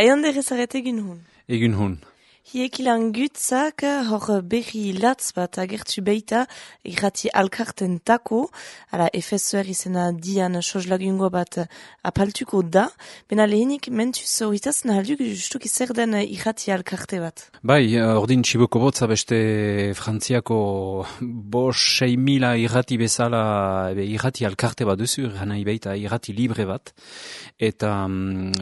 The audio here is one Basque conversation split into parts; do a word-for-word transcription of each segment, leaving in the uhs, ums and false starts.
Aion derrezaret egin hun. Egin hun. Hiek ilan gutzak hor berri latz bat agertu beita irrati alkarten tako, ala F S R izena dian sozlagungo bat apaltuko da, bena lehenik mentuz horretaz nahalduk justuk izer den irrati alkarte bat. Bai, ordin txiboko botza beste Frantziako bos sei mila irrati bezala ebe, irrati alkarte bat duzu, erranai beita irrati libre bat, eta,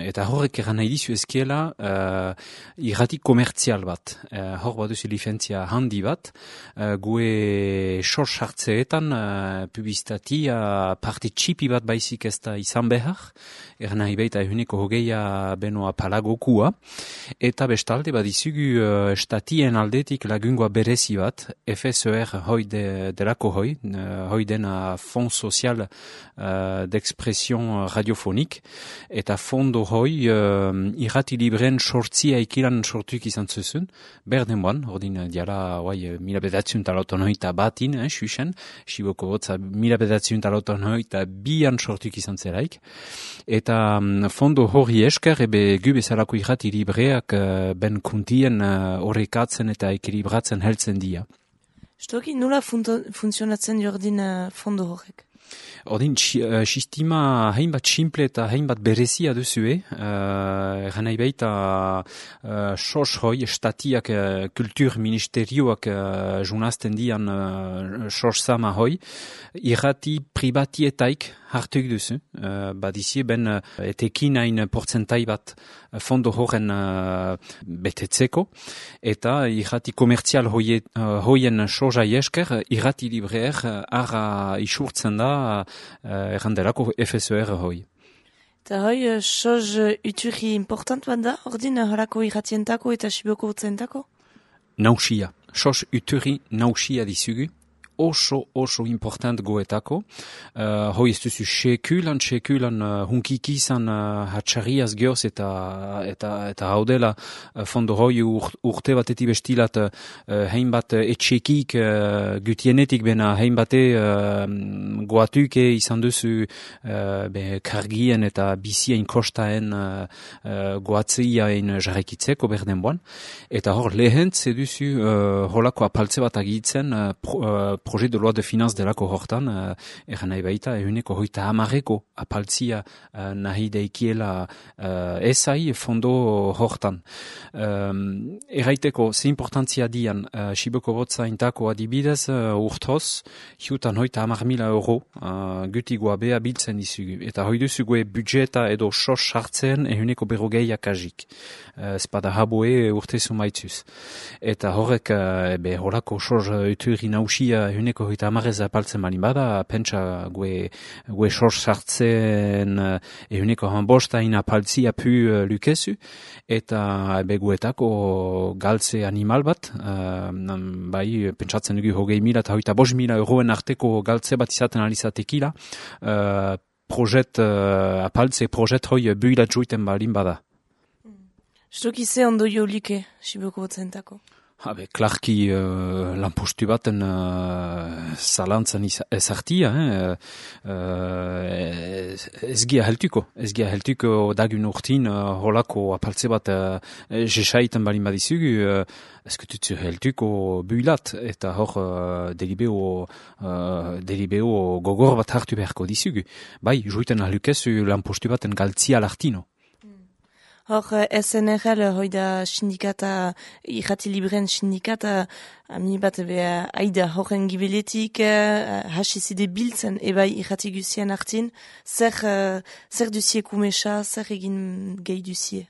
eta horrek erranai dizu ezkiela uh, irrati komertzial bat. Uh, hor bat duzu licentzia handi bat, uh, gue sos hartzeetan uh, publizitatia parte txipi bat baizik ez da izan behar, erranai beita ehuneko hogeia benoa palagokua, eta bestalde bat izugu uh, statien aldetik lagungoa berezi bat, F S R hoi de, delako hoi, uh, hoi dena Fond Social uh, d'Expression Radiofonik, eta fondo hoi uh, irrati libren sortzia ikilan sortuk izan zuzun, berden boan, ordin diala oai, mila bedatziun talauton hoita batin, eh, xuxen, xiboko botza mila bedatziun talauton hoita bian sortuk izan zeraik, eta um, fondo hori esker, ebe gu bezalako irrati libreak uh, ben kuntien horrekatzen uh, eta ekilibratzen heltzen dia. Stoki, nula funtzionatzen jordin uh, fondo horrek? Ordin, uh, sistema hainbat simple eta hainbat berezia duzue, uh, ganai baita uh, sos hoi, statiak, uh, kultur ministerioak uh, junazten dian uh, sos sama hoi, irrati pribatietaik hartuk duzu, uh, badizie ben uh, etekin hain portzentai bat uh, fondo horren uh, betetzeko, eta irrati komertzial hoie, uh, hoien sosa esker, irrati libreer uh, arra isurtzen da uh, errandelako F S R hoi. Eta hoi, uh, soz uturi important bat da, ordin horako irratientako eta xiboko botzentako? Nausia. Soz uturi nausia dizugu. Oso, oso important goetako. Uh, hoi ez duzu sekulan, sekulan uh, hunkiki izan uh, hatxarriaz geoz eta, eta, eta haudela uh, fondo hoi ur, urte bateti bestilat uh, hainbat uh, etxekik uh, gutienetik bena hainbate uh, goatuke izan duzu uh, be, kargien eta bizien kostaen uh, uh, goatzeiaen jarrekitzeko berden boan. Eta hor lehentz eduzu uh, holako apaltze bat agitzen uh, pro, uh, projet de loi de finanz delako hortan, uh, eran nahi baita, ehuneko hoita hamareko apaltzia uh, nahi deikiela uh, esai fondo hortan. Um, Erraiteko, ze importantzia dian, uh, Xiboko botza intako adibidez, uh, urtoz, hiutan hoita hamar mila euro, uh, gutigoa bea biltzen dizugu. Eta hoi duzugue budjeta edo sos sartzen ehuneko berrogeiak agik. Uh, Espada haboe urte sumaitzuz. Eta horrek, uh, be, horako sos uturi nausia ehuneko hoita hamarez apaltzen balin bada, pentsa gue, gue sos sartzen ehuneko hanbosta ina apaltzia pu uh, lukezu, eta be, guetako galtze animal bat, uh, bai, pentsatzen dugu hogei mila eta hoita bost mila euroen arteko galtze bat izaten alizatekila, uh, projet, uh, apaltze projet hoi builat juiten balin bada. Stoki ze ondo jo like, Xiboko botzentako? Habe, klarki uh, lanpostu baten uh, zalantzan ezartia, eh? uh, ez gia heltuko, ez gia heltuko dagun urtin uh, holako apaltze bat uh, jesaiten balin badizugu, uh, ezkututzu heltuko builat, eta hor uh, delibeo, uh, delibeo gogor bat hartu beharko dizugu. Bai, juiten ahlukezu lanpostu baten galtzia lartino. Hor, S N R L, hoi da sindikata, irrati libren sindikata, ami bat beha aida horren gibeletik, uh, hasizide biltzen, ebai irrati guzien hartin, zer, uh, zer duzie kumesa, zer egin gehi duzie?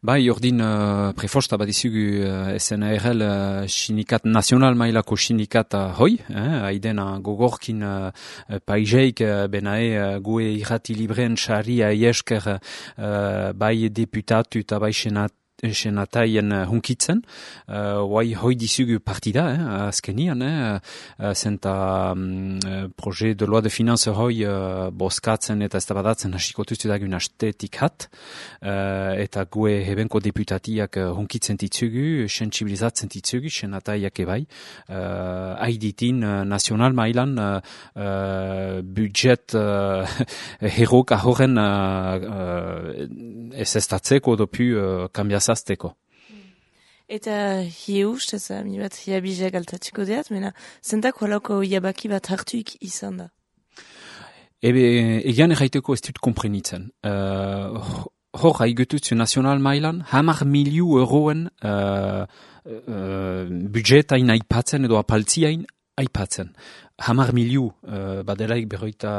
Bai, ordin uh, prefosta bat izugu uh, S N R L uh, sindikat nazional mailako sindikata hoi, eh, haidena gogorkin uh, paizeik uh, benae uh, gue irrati libren xarria esker uh, bai deputatu eta bai senat senataien hunkitzen, guai hoi dizugu partida, eh, azkenian, eh, zenta um, proje de loi de finance hoi uh, boskatzen eta eztabadatzen hasiko tuztu dagun astetik hat, uh, eta gue hebenko deputatiak uh, hunkitzen ditzugu, sensibilizatzen ditzugu, senataiak ebai, uh, haiditin uh, nazional mailan uh, uh, budget uh, herok ahoren uh, uh, ez estatzeko dopu uh, kambiazazteko. Eta hie ustez, mi bat hiabizak altatiko deat, mena zentak holako hiabaki bat hartuik izan da? Ebe, egian erraiteko ez dut komprenitzen. Uh, hor, haigututzu nazional mailan, hamar miliu euroen uh, uh, budgetain aipatzen edo apaltziain aipatzen. Hamar miliu, uh, badelaik berroita,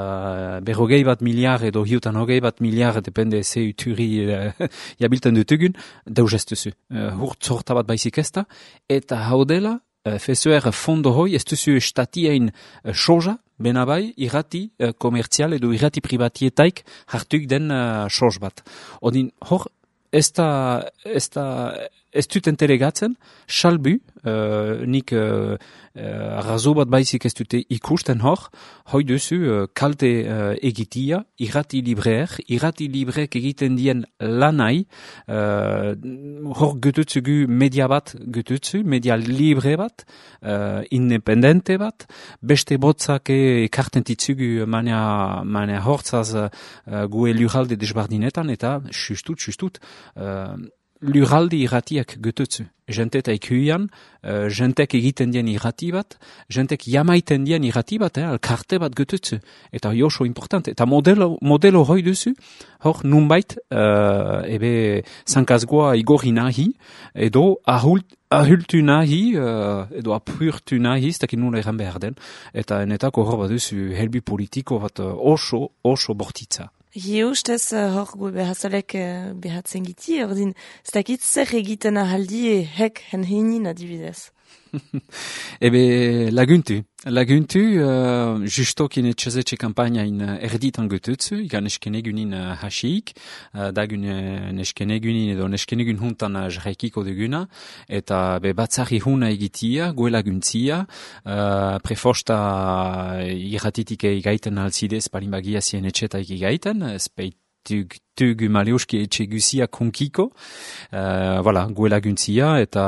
berrogei bat miliar edo hiutan hogei bat miliar, depende ze uturi uh, jabilten dutugun, deus ez duzu. Uh, hurt zorta bat baizik ezta, eta haudela, uh, fesuer fondo hoi, ez duzu estatiain uh, soja, benabai, irrati uh, komertzial edo irrati privatietaik hartuk den uh, soz bat. Odin, hor, ez da, ez da, ez dut entelegatzen, salbu, uh, nik uh, uh, arrazo bat baizik ez dute ikusten hor, hoi duzu uh, kalte uh, egitia, irrati libreer, irrati libreek egiten dien lanai, uh, hor gututzugu media bat gututzu, media libre bat, uh, independente bat, beste botzak ekarten ditzugu manea, manea hortzaz uh, gue lurralde desbardinetan, eta justut, justut, uh, lurraldi irratiak gututzu. Jentet aikuian, uh, jentek egiten dien irrati bat, jentek jamaiten dien irrati bat, eh, alkarte bat gututzu. Eta joso important. Eta modelo, modelo hoi duzu, hor nunbait, uh, ebe zankazgoa igorri nahi, edo ahult, ahultu nahi, uh, edo apurtu nahi, ez dakit nula eran behar den. Eta enetako hor bat duzu helbi politiko bat uh, oso, oso bortitza. Hie ustez, hor gu behazalek behatzen giti, ordin, ez dakit zer egiten ahaldi hek hen heinin adibidez. Ebe laguntu, laguntu, uh, justokin etxezetxe kampagnain erditan gututzu, ikan eskenegunin uh, hasiik, uh, dagun uh, neskenegunin edo neskenegun huntan uh, jarraikiko duguna, eta be batzari huna egitia, gue laguntzia, uh, prefosta uh, irratitik egaiten alzidez palimbagia zien etxetaik egaiten, speit tug tug maleuski etxe guziak hunkiko, uh, voilà, gue laguntzia, eta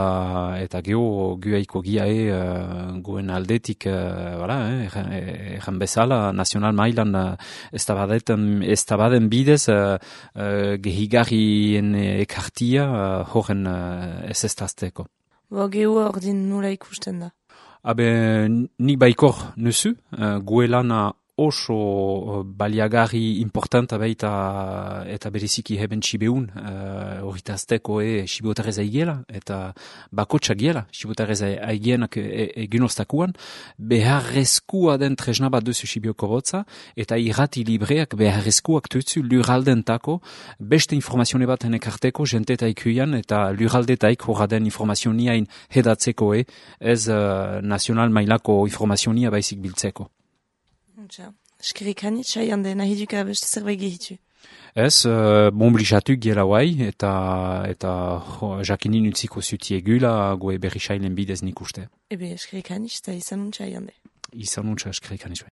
eta geho guaiko giae uh, guen aldetik, uh, voilà, eh, erran bezala, nazional mailan uh, ez tabaden bidez uh, uh, gehigarrien ekartia uh, horren uh, ez estazteko. Bo geho ordin nula ikusten da? Habe, ni baikor nuzu, uh, gue lana oso baliagarri importanta baita eta bereziki heben sibeun horritazteko uh, e sibotarez aigela eta bakotsak giela sibotarez aigienak egin ostakuan beharrezkoa den tresna bat duzu sibioko botza eta irrati libreak beharrezkoak tutzu lurraldentako beste informazione bat ekarteko jenteta ikuian eta lurraldetaik horra den informazioniain hedatzeko e ez uh, nazional mailako informazionia baizik biltzeko. Eskerik hanit, saian den, nahi duka beste zerbait gehitu. Ez, uh, bonblixatu giela guai, eta, eta jo, jakinin utziko zutiegula, goe berri sailen bidez nik uste. Ebe, eskerik hanit, eta izan untsa jande. Izan untsa eskerik hanit.